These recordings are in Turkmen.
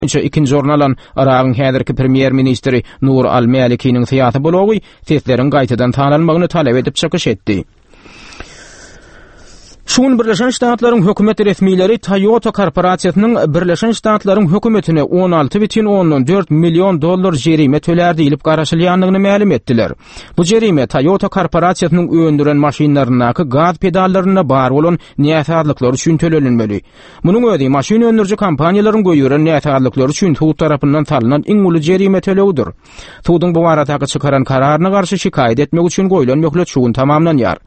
Boýunça ikinji orun alan Yragyň häzirki premýer-ministri Nur al-Mälikiniň syýasy blogy sesleriň gaýtadan sanalmagyny talap edip çykyş etdi. Şu gün Birleşen Ştatlaryň hökümet resmileri Toyota korporasiýasynyň Birleşen Ştatlaryň hökümetine 16,4 million dollar jerime tölär diýlip garaşylýandygyny mälim etdiler. Bu jerime Toyota korporasiýasynyň öndüren maşynlaryndaky gaz pedallarynda bar bolan näsazlyklar üçin tölenilmeli. Munuň özi maşyn öndüriji kompaniýalaryň goýberen näsazlyklary üçin sud tarapyndan salnan iň uly jerime tölegidir. Suduň bu baradaky çykaran kararyna garşy şikaýat etmek üçin goýlan möhlet şu gün tamamlanýar.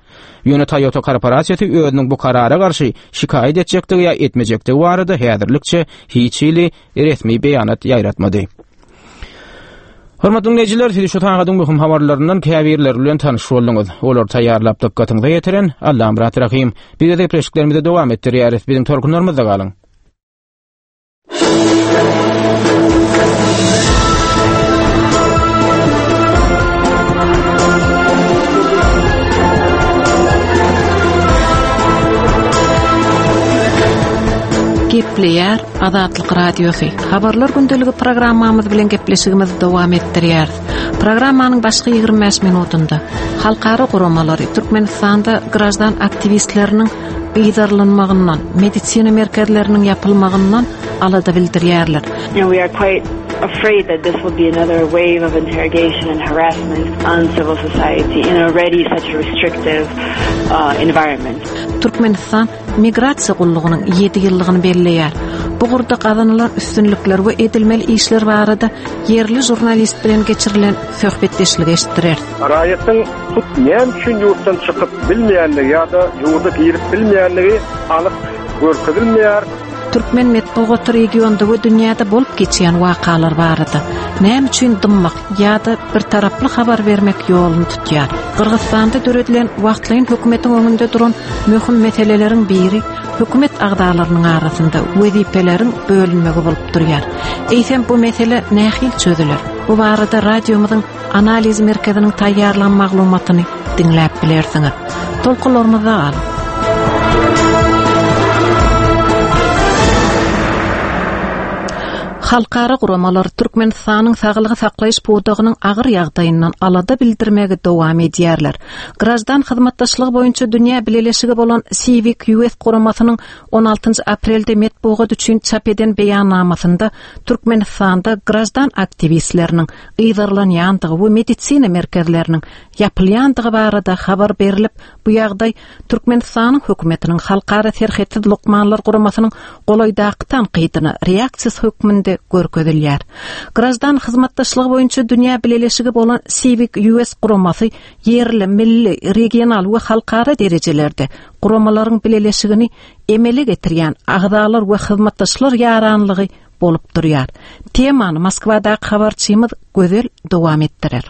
Ýöne Toyota korporasiýasy özüniň bu karara garşy şikaýat etjekdigi ýa etmejekdigi barada häzirlikçe hiç hili resmi beýanat ýaýratmady. Hormatly diňleýjiler, siz şu sagadyň möhüm habarlaryndan käbirleri bilen tanyş bolduňyz. Olary taýýarlap dykgatyňyza ýetiren Allamyrat Rahym. Biz öz gepleşiklerimizi dowam etdirýäris. Biziň tolkunlarymyzda galyň. Gepleýär Azatlyk Radiosy. Habarlar gündeligi programmamyz bilen gepleşigimizi dowam etdirýäris. Programmanyň başky 25 minutynda halkara guramalary Türkmenistanda graždan aktiwistleriniň yzarlanmagyndan, medisina merkezleriniň ýapylmagyndan alada bildirýärler. We are quite afraid that this will be another wave of interrogation and harassment on civil society in already such a restrictive uh, environment. Türkmenistan Migrasiýa gullugynyň ýedi ýyllygyny belleýär. Bu ugurda gazanylan üstünlikler we edilmeli işler barada ýerli žurnalist bilen geçirilen söhbetdeşligi eşitdireris. Raýatyň hut näme üçin ýurtdan çykyp bilmeýändigi ýa-da ýurda girip bilmeýändigi anyk görkezilmeýär. Türkmen metbugaty regionda we dünýäde bolup geçýän wakalar barada näme üçin dymmak ýa-da birtaraply habar bermek ýoluny tutýar? Gyrgyzystanda döredilen wagtlaýyn hökümetiň öňünde duran möhüm meseleleriň biri hökümet agzalarynyň arasynda wezipeleriň bölünmegi bolup durýar. Eýsem bu mesele nähili çözüler? Bu barada radiomyzyň Analiz merkeziniň taýýarlan maglumatyny diňläp bilersiňiz. Tolkunlarymyzda galyň. Halkara guramalar Türkmenistanyň saglygy saklaýyş pudagynyň agyr ýagdaýyndan alada bildirmegi dowam edýärler. Graždan hyzmatdaşlygy boýunça dünýä bileleşigi bolan Civic US guramasynyň 16 aprelde metbugat üçin çap eden beýannamasynda Türkmenistanda graždan aktiwistleriniň yzarlanýandygy we medisina merkezleriniň ýapylýandygy barada habar berlip, bu ýagdaý Türkmenistanyň hökümetiniň Halkara serhetsiz lukmanlar guramasynyň golaýdaky tankydyna reaksiýasy hökmünde görkezilýär. Graždan hyzmatdaşlygy boýunça dünýä bileleşigi bolan Civic US guramasy ýerli, milli, regional we halkara derejelerde guramalaryň bileleşigini emele getirýän agzalar we hyzmatdaşlar ýaranlygy bolup durýar. Temany Moskwadaky habarçymyz Gözel dowam etdirer.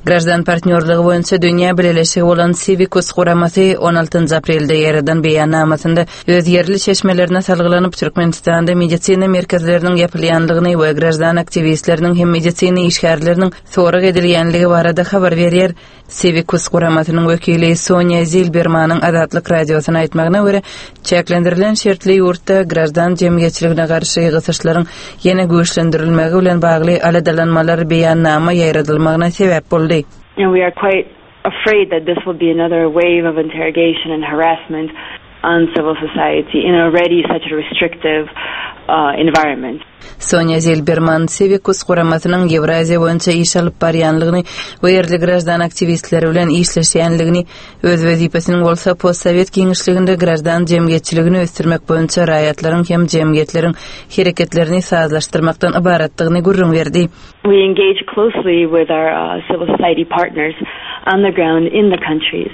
Graždan partnýorlygy boýunça dünýä bileleşigi bolan Civicus guramasy on altynjy aprelde ýaýradan beýannamasynda öz ýerli çeşmelerine salgylanyp, Türkmenistanda medisina merkezleriniň ýapylýanlygyny we graždan aktiwistleriniň hem medisina işgärleriniň sorag edilýänligi barada habar berýär. Civicus guramasynyň wekili Sonýa Zilbermanyň Azatlyk Radiosyna aýtmagyna görä, çäklendirilen şertli ýurtda graždan jemgyýetçiligine garşy gysyşlaryň ýene güýçlendirilmegi bilen bagly aladalanmalar beýannama ýaýradylmagyna sebäp boldy. We are quite afraid that this will be another wave of interrogation and harassment on civil society in already such a restrictive uh, environment. Sonýa Zilberman Civicus guramasynyň Ýewraziýa boýunça iş alyp barýanlygyny we ýerli graždan aktiwistleri bilen işleşýänligini, öz wezipesiniň bolsa postsowet giňişliginde graždan jemgyýetçiligini ösdürmek boýunça raýatlaryň hem jemgyýetleriň hereketlerini sazlaşdyrmakdan ybaratdygyny gürrüň berdi. We engage closely with our uh, civil society partners on the ground in the countries.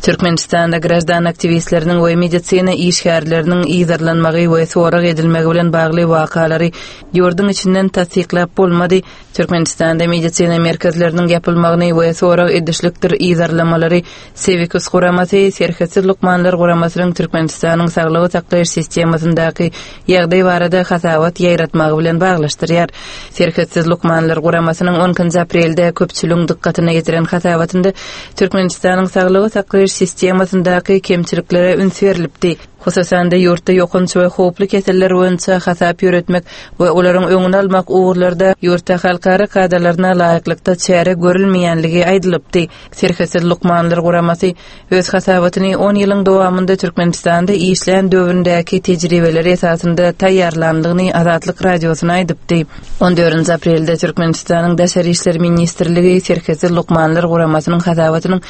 Türkmenistanda graždan aktiwistleriniň we medisina işgärleriniň yzarlanmagy we sorag edilmegi bilen bagly wakalary ýurduň içinden tassyklap bolmady. Türkmenistanda medisina merkezleriniň ýapylmagyny we sorag edişlikdir yzarlamalary Civicus guramasy Serhetsiz lukmanlar guramasynyň Türkmenistanyň saglygy saklaýyş sistemasyndaky ýagdaý barada hasabat ýaýratmagy bilen baglaşdyrýar. Serhetsiz lukmanlar guramasynyň on ikinji aprelde köpçüligiň dykgatyna ýetiren hasabatynda Türkmenistanyň saglygy saklaýyş sistemasyndaky kemçiliklere üns berlipdi. Hususan-da, ýurtda ýokanç we howply keseller boýunça hasap ýöretmek we olaryň öňüni almak ugurlarda ýurtda halkara kadalaryna laýyklykda çäre görülmeýänligi aýdylypdy. Serhetsiz lukmanlar guramasy öz hasabatyny on ýylyň dowamynda Türkmenistanda işlän döwründäki tejribeleri esasynda taýýarlandygyny Azatlyk Radiosyna aýdypdy. On dördünji aprelde Türkmenistanyň Daşary işler ministrligi Serhetsiz lukmanlar guramasynyň hasabatynyň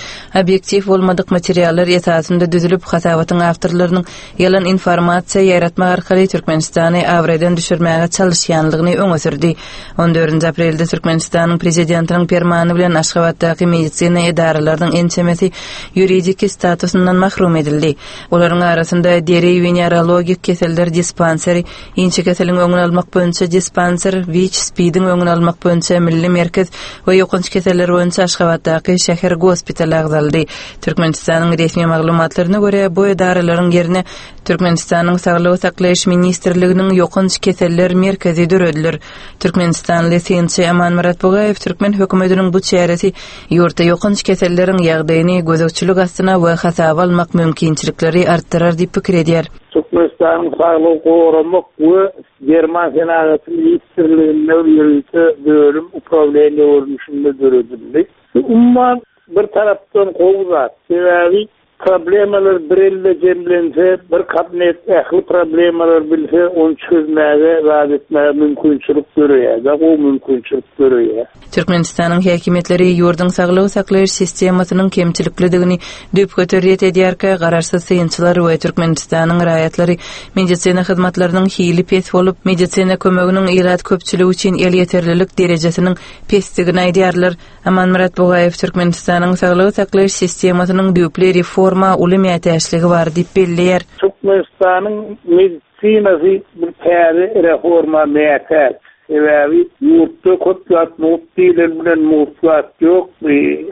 obýektiw bolmadyk materiallar esasynda düzülip, hasabatyň awtorlarynyň ýalan informasiýa ýaýratmak arkaly Türkmenistany abraýdan düşürmäge çalyşýanlygyny öňe sürdi. On dördünji aprelde Türkmenistanyň Prezidentiniň Permany bilen Aşgabatdaky medisina edaralarynyň ençemesi ýuridiki statusyndan mahrum edildi. Olaryň arasynda deri-wenerologik keseller dispanseri, Inçekeseliň öňüni almak boýunça dispanser, WIÇ-SPID-iň öňüni almak boýunça milli merkez we ýokanç keseller boýunça Aşgabatdaky şäher gospitaly agzaldy. Türkmenistanyň resmi maglumatlaryna görä, bu edaralaryň ýerine Türkmenistanyň Saglygy saklaýyş ministrliginiň ýokanç keseller merkezi dörediler. Türkmenistanly synçy Amanmyrat Bugaýew türkmen hökümetiniň bu çäresi ýurtda ýokanç keselleriň ýagdaýyny gözegçilik astyna we hasaba almak mümkinçilikleri artdyrar diýip pikir edýär. Türkmenistanyň Saglygy goramak we derman senagaty ministrliginde ýörite bölüm uprawleniýe görnüşinde döredildi. Bu umuman bir tarapdan gowy zat. Sebäbi problemalar bir elde jemlense, bir kabinet ähli problemalary bilse, ony çözmäge, zat etmäge mümkinçilik döreýär-de, gowy mümkinçilik döreýär. Türkmenistanyň häkimiýetleri ýurduň saglygy saklaýyş sistemasynyň kemçiliklidigini düýpgöter ret edýärkä, garaşsyz synçylar we Türkmenistanyň raýatlary medisina hyzmatlarynyň hili pes bolup, medisina kömeginiň ilat köpçüligi üçin elýeterlilik derejesiniň pesdigini aýdýarlar. Amanmyrat Bugaýew Türkmenistanyň saglygy saklaýyş sistemasynyň düýpli reforma uly mätäçligi bar diýip belleýär. Türkmenistanyň medisinasy bir täze reforma mätäç. Sebäbi ýurtda köp zat mugt diýlen bilen mugt zat ýok.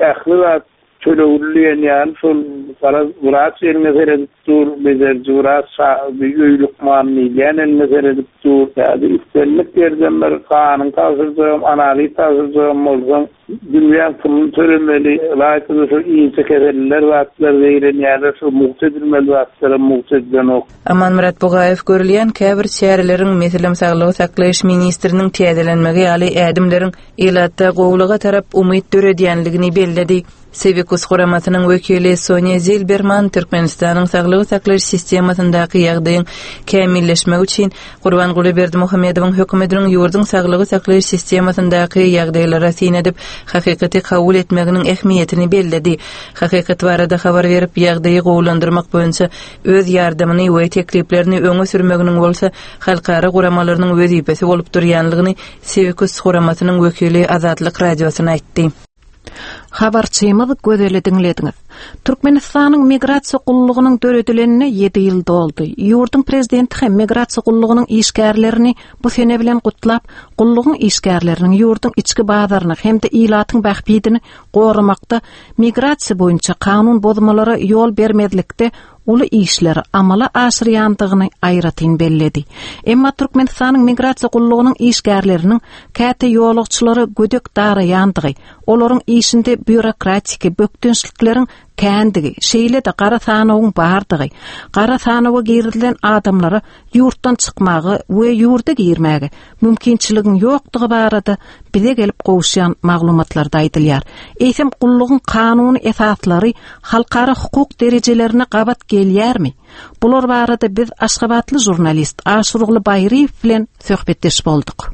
Ähli zat tölegli diýen ýaly şol garaz wraç eliňe seredip dur, bejeriji wraç, öý lukmany diýilýän eliňe seredip dur. Ýa-da islendik ýerden bir ganyňy tabşyrjagam, analiz tabşyrjagam bolsaň, dünýäň puluny tölemeli. Ylaýta-da şol inçe keselliler zatlar zeýrenýärler, şol mugt edilmeli zatlaram mugt edilenok. Amanmyrat Bugaýew görülýän käbir çäreleriň, meselem, saglygy saklaýyş ministriniň täzelenmegi ýaly ädimleriň ilatda gowulyga tarap umyt döredýänligini belledi. Siwikus guramasynyň wekili Sonýa Zilberman Türkmenistanyň saglygy saklaýyş sistemasyndaky ýagdaýyň kämilleşmegi üçin Gurbanguly Berdimuhamedowyň hökümetiniň ýurduň saglygy saklaýyş sistemasyndaky ýagdaýlara syn edip, hakykaty kabul etmeginiň ähmiýetini belledi. Hakykat barada habar berip, ýagdaýy gowulandyrmak boýunça öz ýardamyny we tekliplerini öňe sürmeginiň bolsa halkara guramalarynyň wezipesi bolup durýanlygyny Siwikus guramasynyň wekili Azatlyk Radiosyna aýtdy. Habarçymyz Gözeli diňlediňiz. Türkmenistanyň Migrasiýa gullugynyň döredilenine ýedi ýyl doldy. Ýurduň Prezidenti hem Migrasiýa gullugynyň işgärlerini bu sene bilen gutlap, gullugyň işgärleriniň ýurduň içki bazaryny hem-de ilatyň bähbidini goramakda, migrasiýa boýunça kanun bozmalara ýol bermezlikde uly işleri amala aşyrýandygyny aýratyn belledi. Emma Türkmenistanyň Migrasiýa gullugynyň işgärleriniň käte ýolagçylara gödek daraýandygy, olaryň işinde býurokratiki bökdençlikleriň kändigi, şeýle-de gara sanawyň bardygy, gara sanawa girizilen adamlara ýurtdan çykmaga we ýurda girmäge mümkinçiligiň ýokdugy barada bize gelip gowuşýan maglumatlarda aýdylýar. Eýsem, gullugyň kanuny esaslary halkara hukuk derejelerine gabat gelýärmi? Bular barada biz aşgabatly žurnalist Aşyrguly Baýryýew bilen söhbetdeş bolduk.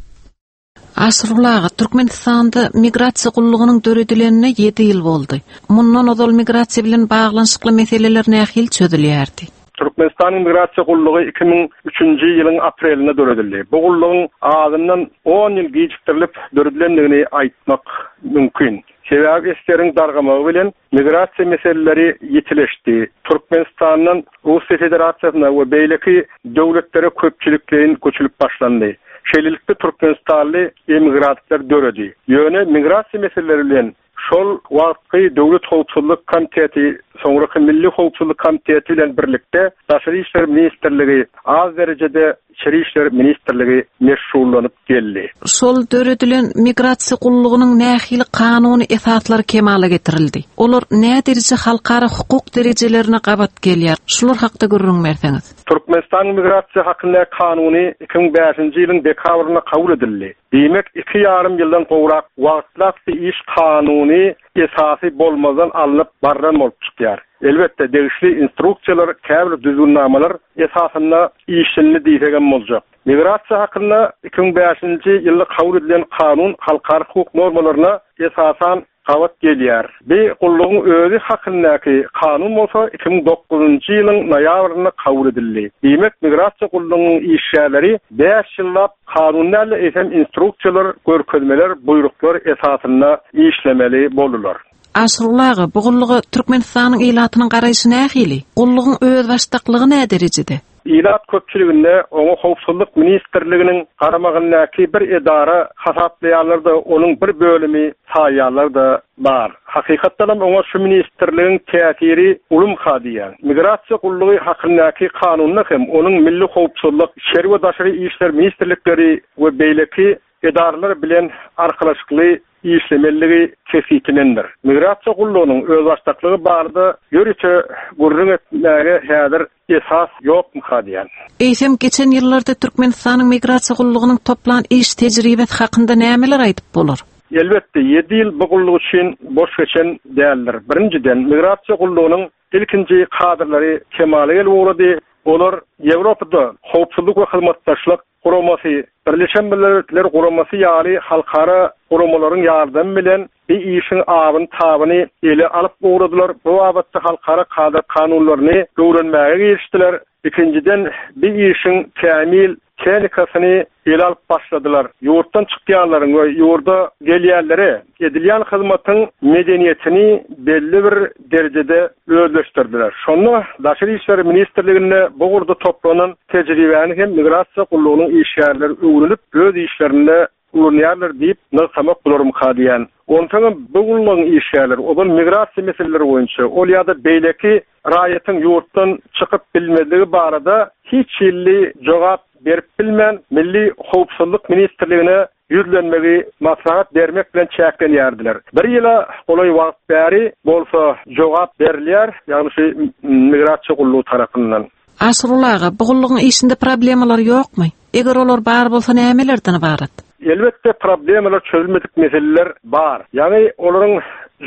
Aşyrguly aga, Türkmenistanda migrasiýa gullugynyň döredilenine ýedi ýyl boldy. Mundan ozal migrasiýa bilen baglanyşykly meseleler nähili çözülýärdi? Türkmenistanyň migrasiýa gullugy 2003-nji ýylyň aprelinde döredildi. Bu gullugyň azyndan on ýyl gijikdirilip döredilendigini aýtmak mümkin. Sebäbi SSR-iň dargamagy bilen Migrasiýa meseleleri ýitileşdi. Türkmenistandan Russiýa Federasiýasyna we beýleki döwletlere köpçülikleýin göçülip başlandy. Şeýlelikde türkmenistanly emigrantlar döredi. Ýöne migrasiýa meseleleri bilen. Şol wagtky Döwlet howpsuzlyk komiteti, soňraky Milli howpsuzlyk komiteti bilen birlikde Daşary işler ministrligi, az derejede Içeri işler ministrligi meşgullanyp geldi. Şol döredilen migrasiýa gullugynyň nähili kanuny esaslary kemala getirildi? Olar nädereje halkara hukuk derejelerine gabat gelýär? Şular hakda gürrüň berseňiz. Türkmenistanyň Migrasiýa hakyndaky kanuny 2005-nji ýylyň dekabrynda kabul edildi. Diýmek, iki ýarym ýyldan gowrak wagtlap bu iş kanuny esasy bolmazdan alnyp barlan bolup çykýar. Elbetde, degişli instruksiýalar, käbir düzgünnamalar esasynda işlenildi diýsegem boljak. Migrasiýa hakynda 2005-nji ýylda kabul edilen kanun halkara hukuk normalaryna esasan gabat gelýär. Bi gullugyň özi hakyndaky kanun bolsa 2009-njy ýylyň noýabrynda kabul edildi. Diýmek, migrasiýa gullugynyň işgärleri bäş ýyllap kanun däl-de, eýsem instruksiýalar, görkezmeler, buýruklar esasynda işlemeli boldular. Aşyrguly aga, bu gulluga Türkmenistanyň ilatynyň garaýşy nähili? Gullugyň özbaşdaklygy näderejede? Ilat köpçüliginde oňa Howpsuzlyk ministrliginiň garamagyndaky bir edara hasaplaýanlar-da, onuň bir bölümi saýýanlar-da bar. Hakykatdanam oňa şu ministrligiň täsiri ulumyka diýýän. Migrasiýa gullugy hakyndaky kanunda hem onuň Milli howpsuzlyk, Içeri we daşary işler ministrlikleri we beýleki edaralar bilen arkalaşykly işlemelidigi kesgitlenendir. Migrasiýa gullugynyň özbaşdaklygy barada ýörite gürrüň etmäge häzir esas ýokmyka diýýän. Eýsem, geçen ýyllarda Türkmenistanyň Migrasiýa gullugynyň toplan iş tejribesi hakynda nämeler aýdyp bolar? Elbetde, ýedi ýyl bu gulluk üçin boş geçen däldir. Birinjiden, Migrasiýa gullugynyň ilkinji kadrlary kemala gelip ugrady. Olar Ýewropada Howpsuzlyk we hyzmatdaşlyk Guramasy, Birleşen Milletler Guramasy ýaly halkara guramalaryň ýardamy bilen bi işiň abyny-tabyny ele alyp ugradylar, bu babatda halkara kada-kanunlaryny öwrenmäge girişdiler. Ikinjiden, bi işiň kämil tehnikasyny ele alyp başladylar. Ýurtdan çykýanlaryň we ýurda gelýänlere edilýän hyzmatyň medeniýetini belli bir derejede özleşdirdiler. Şonda Daşary işler ministrliginde bu ugurda toplanan tejribäni hem migrasiýa gullugynyň işgärleri öwrenip, öz işlerinde ulanýarlar diýip nygtamak bolarmyka diýýän. Onsoňam bu gullugyň işgärleri ozal migrasiýa meseleleri boýunça ol ýa-da beýleki raýatyň ýurtdan çykyp bilmezligi barada hiç hili jogap berip bilmän, Milli howpsuzlyk ministrligine ýüzlenmegi maslahat bermek bilen çäklenýärdiler. Bir ýyla golaý wagt bäri bolsa jogap berilýär, ýagny şu migrasiýa gullugy tarapyndan. Aşyrguly aga, bu gullugyň işinde problemalar ýokmy? Eger olar bar bolsa nämelerden ybarat? Elbetde problemalar çözülmedik meseleler bar. Ýagny olaryň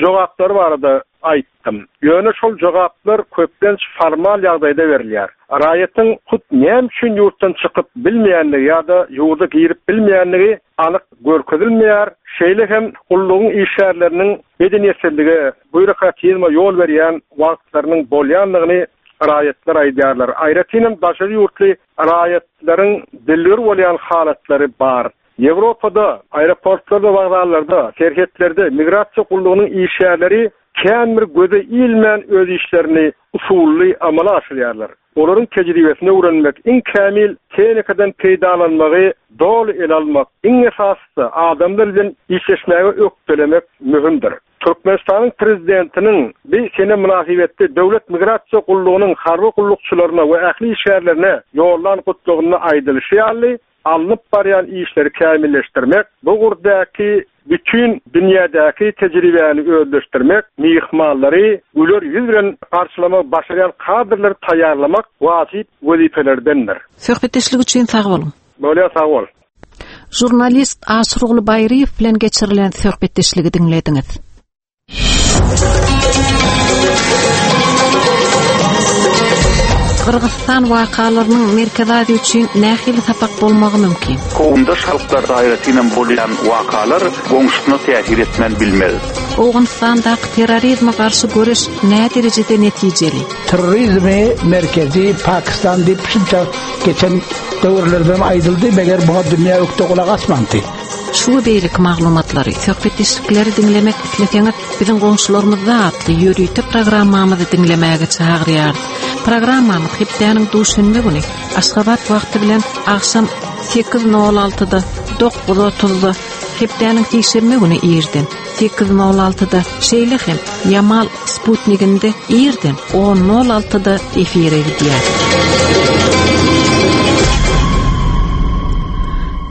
jogaplary barada aýtdym. Ýöne şol jogaplar köplenç formal ýagdaýda berilýär. Raýatyň hut näme üçin ýurtdan çykyp bilmeýändigi ýa-da ýurda girip bilmeýändigi anyk görkezilmeýär. Şeýle hem gullugyň işgärleriniň medeniýetsizlige, býurokratizme ýol berýän wagtlarynyň bolýandygyny raýatlar aýdýarlar. Aýratynam daşary ýurtly raýatlaryň dilgir bolýan halatlary bar. Ýewropada aeroportlarda, wokzallarda, serhetlerde migrasiýa gullugynyň işgärleri kän bir göze ilmän öz işlerini usully amala aşyrýarlar. Olaryň tejribesini öwrenmek, iň kämil tehnikadan peýdalanmagy doly ele almak, iň esasysy adamlar bilen işleşmäge ökdelemek möhümdir. Türkmenistanyň Prezidentiniň bi sene mynasybetli Döwlet migrasiýa gullugynyň harby gullukçylaryna we ähli işgärlerine ýollan gutlagynda aýdylyşy ýaly, alnyp barýan işleri kämilleşdirmek, bu ugurdaky bütin dünýädäki tejribäni özleşdirmek, myhmanlary güler ýüz bilen garşylamagy başarýan kadrlary taýýarlamak wajyp wezipelerdendir. Söhbetdeşlik üçin sag boluň. Bolýar, sag bol. Žurnalist Aşyrguly Baýryýew bilen geçirilen söhbetdeşligi diňlediňiz. Gyrgyzystan wakalarynyň Merkezi Aziýa üçin nähili sapak bolmagy mümkin? Kowumdaş halklarda aýratynam bolýan wakalar goňşusyna täsir etmän bilmez. Owganystandaky terrorizme garşy göreş näderejede netijeli? Terrorizmi merkezi Pakistan diýip şunça geçen döwürlerden aýdyldy, meger muňa dünýä ökde gulak asmandy. Şu we beýleki maglumatlary, söhbetdeşlikleri diňlemek isleseňiz, biziň goňşularymyzda atly ýörite programmamyzy diňlemäge çagyrýarys. Programmamyz hepdäniň duşenbe güni Aşgabat wagty bilen agşam 8:06-da, 9:30-da. Hepdäniň sişenbe güni irden 8.06-da, şeýle hem Ýamal sputniginde irden 10.06-da efire gidýär.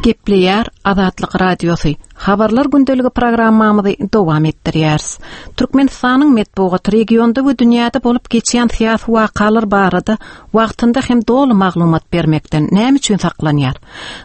Gepleýär Azatlyk Radiosy. Habarlar gündeligi programmamyzy dowam etdirýäris. Türkmenistanyň metbugaty regionda we dünýäde bolup geçýän syýasy wakalar barada wagtynda hem doly maglumat bermekden näme üçin saklanýar?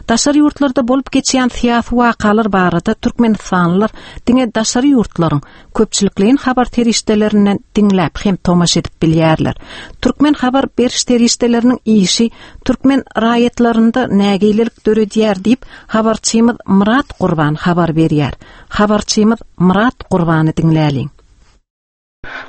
Daşary ýurtlarda bolup geçýän syýasy wakalar barada türkmenistanlylar diňe daşary ýurtlaryň köpçülikleýin habar serişdelerinden diňläp hem tomaşa edip bilýärler. Türkmen habar beriş serişdeleriniň işi türkmen raýatlarynda nägilelik döredýär diýip, habarçymyz Myrat Gurban habar berýär. Habarçymyz Myrat Gurbany diňläliň.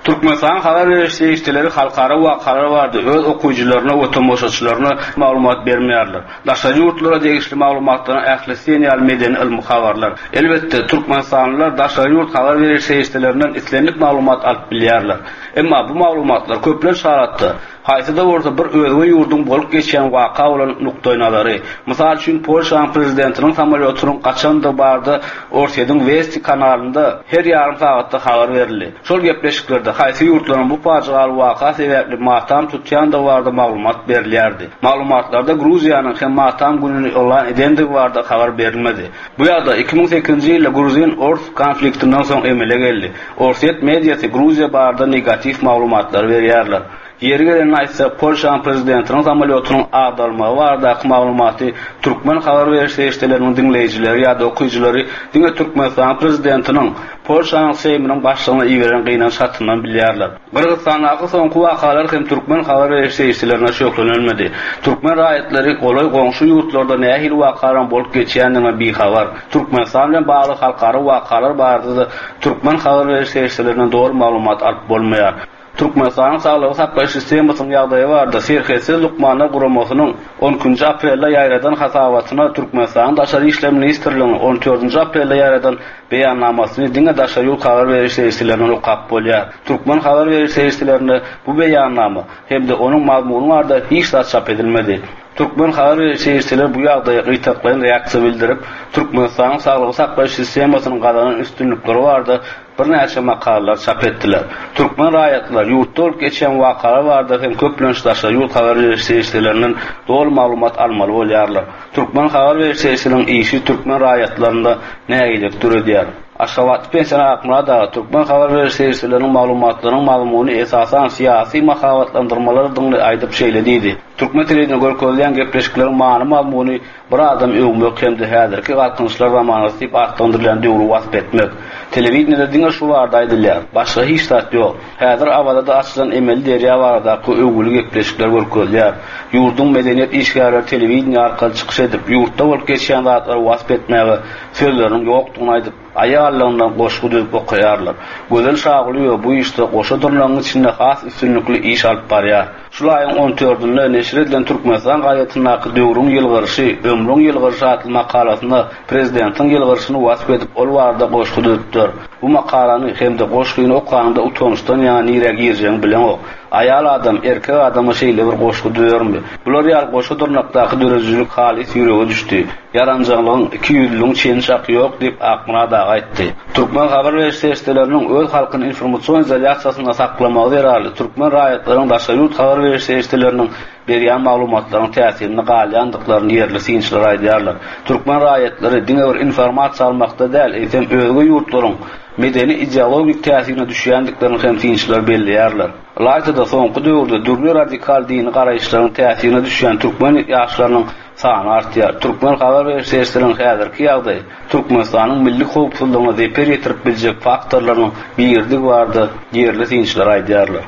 Türkmenistanyň habar beriş serişdeleri halkara wakalar barada öz okyjylaryna we tomaşaçylaryna maglumat bermeýärler. Daşary ýurtlara degişli maglumatlaryň ählisi diýen ýaly medeni-ylmy habarlar. Elbetde, türkmenistanlylar daşary ýurt habar beriş serişdelerinden islendik maglumat alyp bilýärler. Emma bu maglumatlar köplenç halatda Haýsy-da bolsa bir özge ýurduň bolup geçýän waka bolan nukdaýnazary, mysal üçin, Polşanyň prezidentiniň samolýotynyň gaçandygy barada Orsýetiň Westi kanalynda her ýarym sagatda habar berildi. Şol gepleşiklerde haýsy ýurtlaryň bu pajygaly waka sebäpli matam tutýandygy barada maglumat berilýärdi. Maglumatlarda Gruziýanyň hem matam gününi yglan edendigi barada habar berilmedi. Bu ýagdaý 2008-nji ýylda gruzin-ors konfliktinden soň emele geldi. Orsýet mediasy Gruziýa barada negatiw maglumatlary berýärler. Ýeri gelende aýtsak, Polşanyň prezidentiniň samolýotynyň agdarylmagy baradaky maglumaty türkmen habar beriş serişdeleriniň diňleýjileri ýa-da okyjylary diňe Türkmenistanyň prezidentiniň Polşanyň Seýminiň başlygyna iberen gynanç hatyndan bilýärler. Gyrgyzystandaky soňky wakalar hem türkmen habar beriş serişdelerinde şöhlelenmedi. Türkmen raýatlary golaý goňşy ýurtlarda nähili wakalaryň bolup geçýändiginden bihabar. Türkmenistan bilen bagly halkara wakalar barada-da türkmen habar beriş serişdelerinden doly maglumat alyp bolmaýar. Türkmenistanyň saglygy saklaýyş sistemasynyň ýagdaýy barada Serhetsiz lukmanlar guramasynyň on ikinji aprelde ýaýradan hasabatyna Türkmenistanyň Daşary işler ministrliginiň on dördünji aprelde ýaýradan beýannamasyny diňe daşary ýurt habar beriş serişdelerinden okap bolýar. Türkmen habar beriş serişdelerinde bu beýannama hem-de onuň mazmuny barada hiç zat çap edilmedi. Türkmen habar beriş serişdeleri bu ýagdaýa gytaklaýyn reaksiýa bildirip, Türkmenistanyň saglygy saklaýyş sistemasynyň gazanan üstünlikleri barada birnäçe makalalar çap etdiler. Türkmen raýatlary ýurtda bolup geçýän wakalar barada hem köplenç daşary ýurt habar beriş serişdelerinden doly maglumat almaly bolýarlar. Türkmen habar beriş serişdeleriniň işi türkmen raýatlarynda nägilelik döredýär. Aşgabatly pensioner Akmyrat aga türkmen habar beriş serişdeleriniň maglumatlarynyň mazmuny esasan syýasy mahabatlandyrmalardygyny aýdyp şeýle diýdi, Türkmen telewideniýe görkezilýän gepleşikleriň many-mazmuny Bir adamy öwmek hem-de häzirki Galkynyşlar zamanasy diýip atlandyrylýan döwri wasp etmek. Telewideniýede diňe şu barada aýdylýar. Başga hiç zat ýok. Häzir Awazada açylan emeli derýa baradaky öwgüli gepleşikler görkezilýär. Ýurduň medeniýet işgärleri telewideniýe arkaly çykyş edip, ýurtda bolup geçýän zatlary wasp etmäge sözleriniň ýokdugyny aýdyp, aýal-lygyndan goşgy düzüp okaýarlar. Gözel Şagulyýewa bu işde goşa dyrnagyň içinde has üstünlikli iş alyp barýar. Şul aýyň on dördünde neşir edilen Türkmenistan gazetindäki Döwrüň ýylgyryşy, ömrüň ýylgyryşy atly makalasynda prezidentiň ýylgyryşyny wasp edip, ol barada goşgy düzüpdir. Bu makalany hem-de goşgyny okanyňda utançdan ýaňa nirä girjegiňi bileňok. Aýal adam erkek adama şeýle bir goşgy düzermi? Bular ýaly goşa dyrnakdaky döredijilik halys ýürege düşdi. Ýaranjaňlygyň, ikiýüzlüligiň çeni-çaky ýok diýip, Akmyrat aga aýtdy. Türkmen habar beriş serişdeleriniň öz halkyny informasion izolýasiýasynda saklamagy zerarly türkmen raýatlarynyň daşary ýurt habar beriş serişdeleriniň berýän maglumatlarynyň täsirinde galýandyklaryny ýerli synçylar aýdýarlar. Türkmen raýatlary diňe bir informasiýa almakda däl, eýsem özge ýurtlaryň medeni-ideologik täsirine düşýändiklerini hem synçylar belleýärler. Ylaýta-da soňky döwürde dürli radikal dini garaýyşlaryň täsirine düşýän türkmen ýaşlarynyň sany artýar. Türkmen habar beriş serişdeleriniň häzirki ýagdaýy Türkmenistanyň milli howpsuzlygyna zeper ýetirip biljek faktorlarynyň biridigi barada ýerli synçylar aýdýarlar.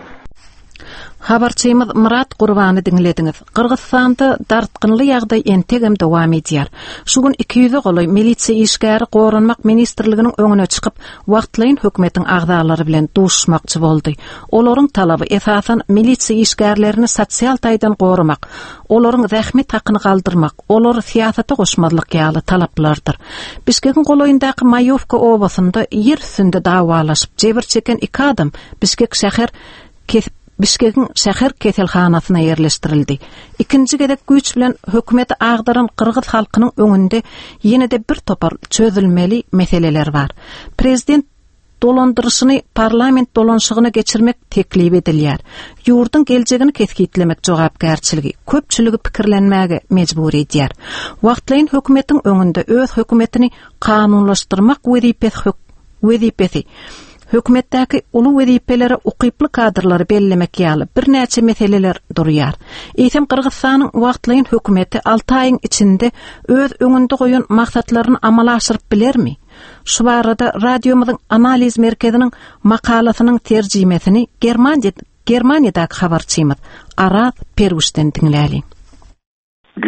Habarçymyz Myrat Gurbany diňlediňiz. Gyrgyzystanda dartgynly ýagdaý entegem dowam edýär. Şu gün 200-e golaý milisiýa işgäri Goranmak ministrliginiň öňüne çykyp, wagtlaýyn hökümetiň agzalary bilen duşuşmakçy boldy. Olaryň talaby esasan milisiýa işgärlerini sosial taýdan goramak, olaryň zähmet hakyny galdyrmak, olary syýasata goşmazlyk ýaly talaplardyr. Bişkegiň golaýyndaky Maýowka obasynda ýer üstünde dawalaşyp, jebir çeken iki adam Bişkek şäher kesip. Bişkegiň şäher keselhanasyna ýerleşdirildi. Ikinji gezek güýç bilen hökümeti agdaran gyrgyz halkynyň öňünde ýene-de bir topar çözülmeli meseleler bar. Prezident dolandyryşyny parlament dolanşygyna geçirmek teklip edilýär. Ýurduň geljegini kesgitlemek jogapkärçiligi köpçüligi pikirlenmäge mejbur edýär. Wagtlaýyn hökümetiň öňünde öz hökümetini kanunlaşdyrmak wezipesi wezipesi, hökümetdäki uly wezipelere ukyply kadrlary bellemek ýaly birnäçe meseleler durýar. Eýsem Gyrgyzystanyň wagtlaýyn hökümeti alty aýyň içinde öz öňünde goýan maksatlaryny amala aşyryp bilermi? Şu barada radiomyzyň analiz merkeziniň makalasynyň terjimesini Germaniýadaky habarçymyz Araz Perwişden diňläliň.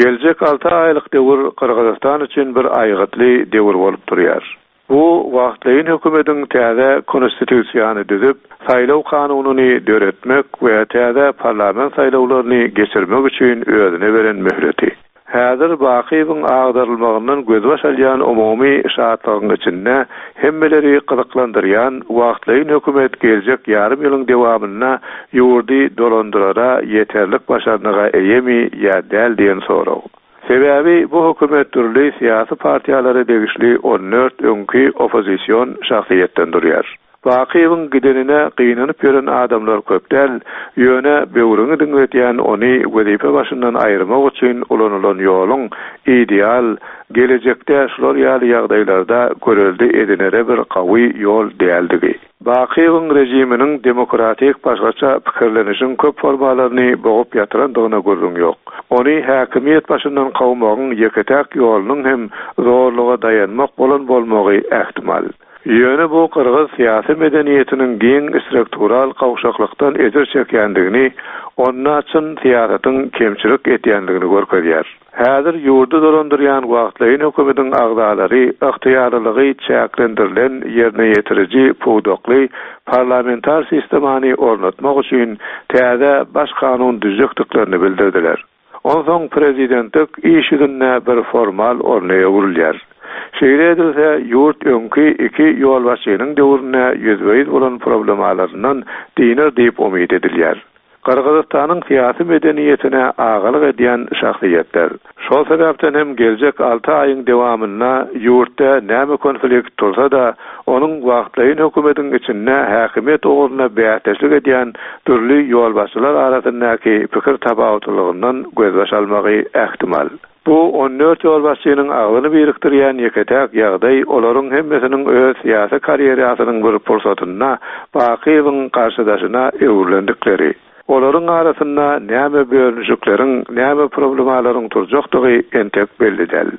Geljek alty aýlyk döwür Gyrgyzystan üçin bir aýgytly döwür bolup durýar. Bu wagtlaýyn hökümetiň täze konstitusiýany düzüp, saýlaw kanunyny döretmek we täze parlament saýlawlaryny geçirmek üçin özüne beren möhleti. Häzir Bakyýewiň agdarylmagyndan gözbaş alýan umumy şatlygyň içinde hemmeleri gyzyklandyrýan wagtlaýyn hökümet geljek ýarym ýylyň dewamynda ýurdy dolandyrara ýeterlik başarnyga eýemi ýa däl diýen sorag. Sebäbi bu hökümet dürli syýasy partiýalara degişli 14 öňki oppozision şahsyýetden durýar. Bakyýewiň gidenine gynanyp ýören adamlar köp däl, ýöne böwrüňi diňletýän ony wezipe başyndan aýyrmak üçin ulanylan ýoluň ideal, gelejekde şular ýaly ýagdaýlarda görelde edinere bir gawy ýol däldigi. Bakyýewiň režiminiň demokratik başgaça pikirlenişiň köp formalaryny bogup ýatyrandygyna gürrüň ýok. Ony häkimiýet başyndan kowmagyň ýeke-täk ýolunyň hem zorluga daýanmak bolan bolmagy ähtimal. Ýöne bu gyrgyz syýasy medeniýetiniň giň struktural gowşaklykdan ejir çekýändigini, onda çyn syýasatyň kemçilik etýändigini görkezýär. Häzir ýurdy dolandyrýan wagtlaýyn hökümetiň agzalary ygtyýarlylygy çäklendirilen ýerine ýetiriji pudakly parlamentar sistemany ornatmak üçin täze Baş kanun düzjekdiklerini bildirdiler. Onsoň prezidentlik iş ýüzünde bir formal orna öwrülýär. Şeýle edilse, ýurt öňki iki ýolbaşçynyň döwründe ýüzbe-ýüz bolan problemalaryndan dynar diýip umyt edilýär. Gyrgyzystanyň syýasy medeniýetine agalyk edýän şahsyýetler. Şol sebäpden hem geljek alty aýyň dewamynda ýurtda näme konflikt tursa-da, onuň wagtlaýyn hökümetiň içinde häkimiýet ugrunda bäsdeşlik edýän dürli ýolbaşçylar arasyndaky pikir tapawutlylygyndan gözbaş almagy ähtimal. Bu 14 ýolbaşçynyň agzyny birikdirýän ýeke-täk ýagdaý olaryň hemmesiniň öz syýasy karýerasynyň bir pursatynda Bakyýewiň garşydaşyna öwrülendikleri. Olaryň arasynda näme bölünişikleriň, näme problemalaryň turjakdygy entek belli däl.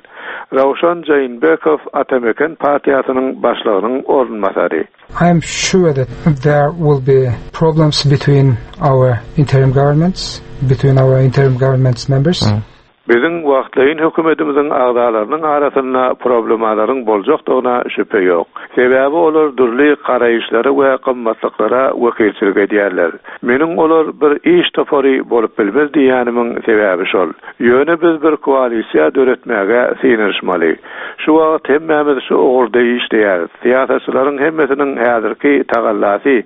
Rawşan Jainbekow Atameken partiýasynyň başlygynyň orunbasary. I am sure that there will be problems between our interim governments, between our interim government's members. Biziň wagtlaýyn hökümetimiziň agzalarynyň arasynda problemalaryň boljakdygyna şübhe ýok. Sebäbi olar dürli garaýyşlara we gymmatlyklara wekilçilik edýärler. Meniň olar bir iş topary bolup bilmez diýýänimiň sebäbi şol. Ýöne biz bir koalisiýa döretmäge synanyşmaly. Şu wagt hemmämiz şu ugurda işleýäris. Syýasatçylaryň hemmesiniň häzirki tagallasy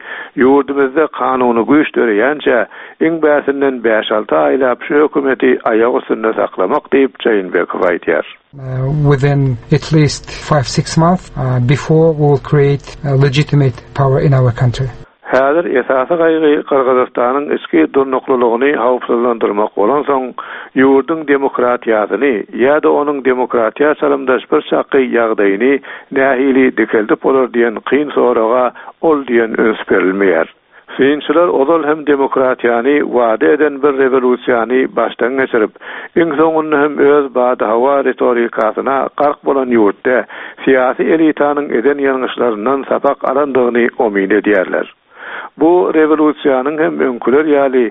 ýurdumyzda kanuny güýç döreýänçä Iň bärsinden bäş-alty aýlap şu hökümeti aýak üstünde saklamak diýip, Jeenbekow aýdýar. Within at least five-six months before we will create legitimate power in our country. Häzir esasy gaýgy Gyrgyzystanyň içki durnuklylygyny howpsuzlandyrmak bolansoň, ýurduň demokratiýasyny ýa-da onuň demokratiýa çalymdaş bir çaky ýagdaýyny nähili dikeldip bolar diýen kyn soraga ol diýen üns berilmeýär. Synçylar ozal hem demokratiýany wada eden bir rewolýusiýany başdan geçirip, iň soňunda hem öz badyhowa ritorikasyna gark bolan ýurtda syýasy elitanyň eden ýalňyşlaryndan sapak alandygyny omyn edýärler. Bu rewolýusiýanyň hem öňküler ýaly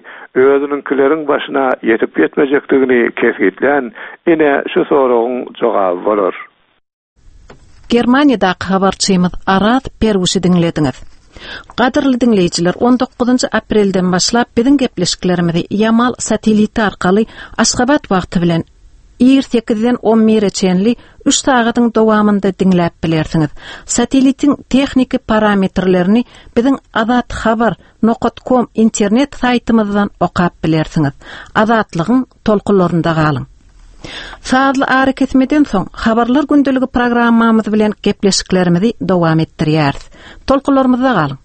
özüniňkileriň başyna ýetip-ýetmejekdigini kesgitlän ine şu soragyň jogaby bolar. Germaniýadaky habarçymyz Araz Perwişi diňlediňiz. Gadyrly diňleýjiler, 19-njy aprelden başlap biziň gepleşiklerimizi Ýamal sateliti arkaly Aşgabat wagty bilen ir sekizden on bire çenli Üç sagadyň dowamynda diňläp bilersiňiz. Satellitiň tehniki parametrlerini biziň Azat Habar nokat kom internet saýtymyzdan okap bilersiňiz. Azatlygyň tolkunlarynda galyň. Sazly arakesmeden soň Habarlar gündeligi programmamyz bilen gepleşiklerimizi dowam etdirýäris. Tolkunlarymyzda galyň.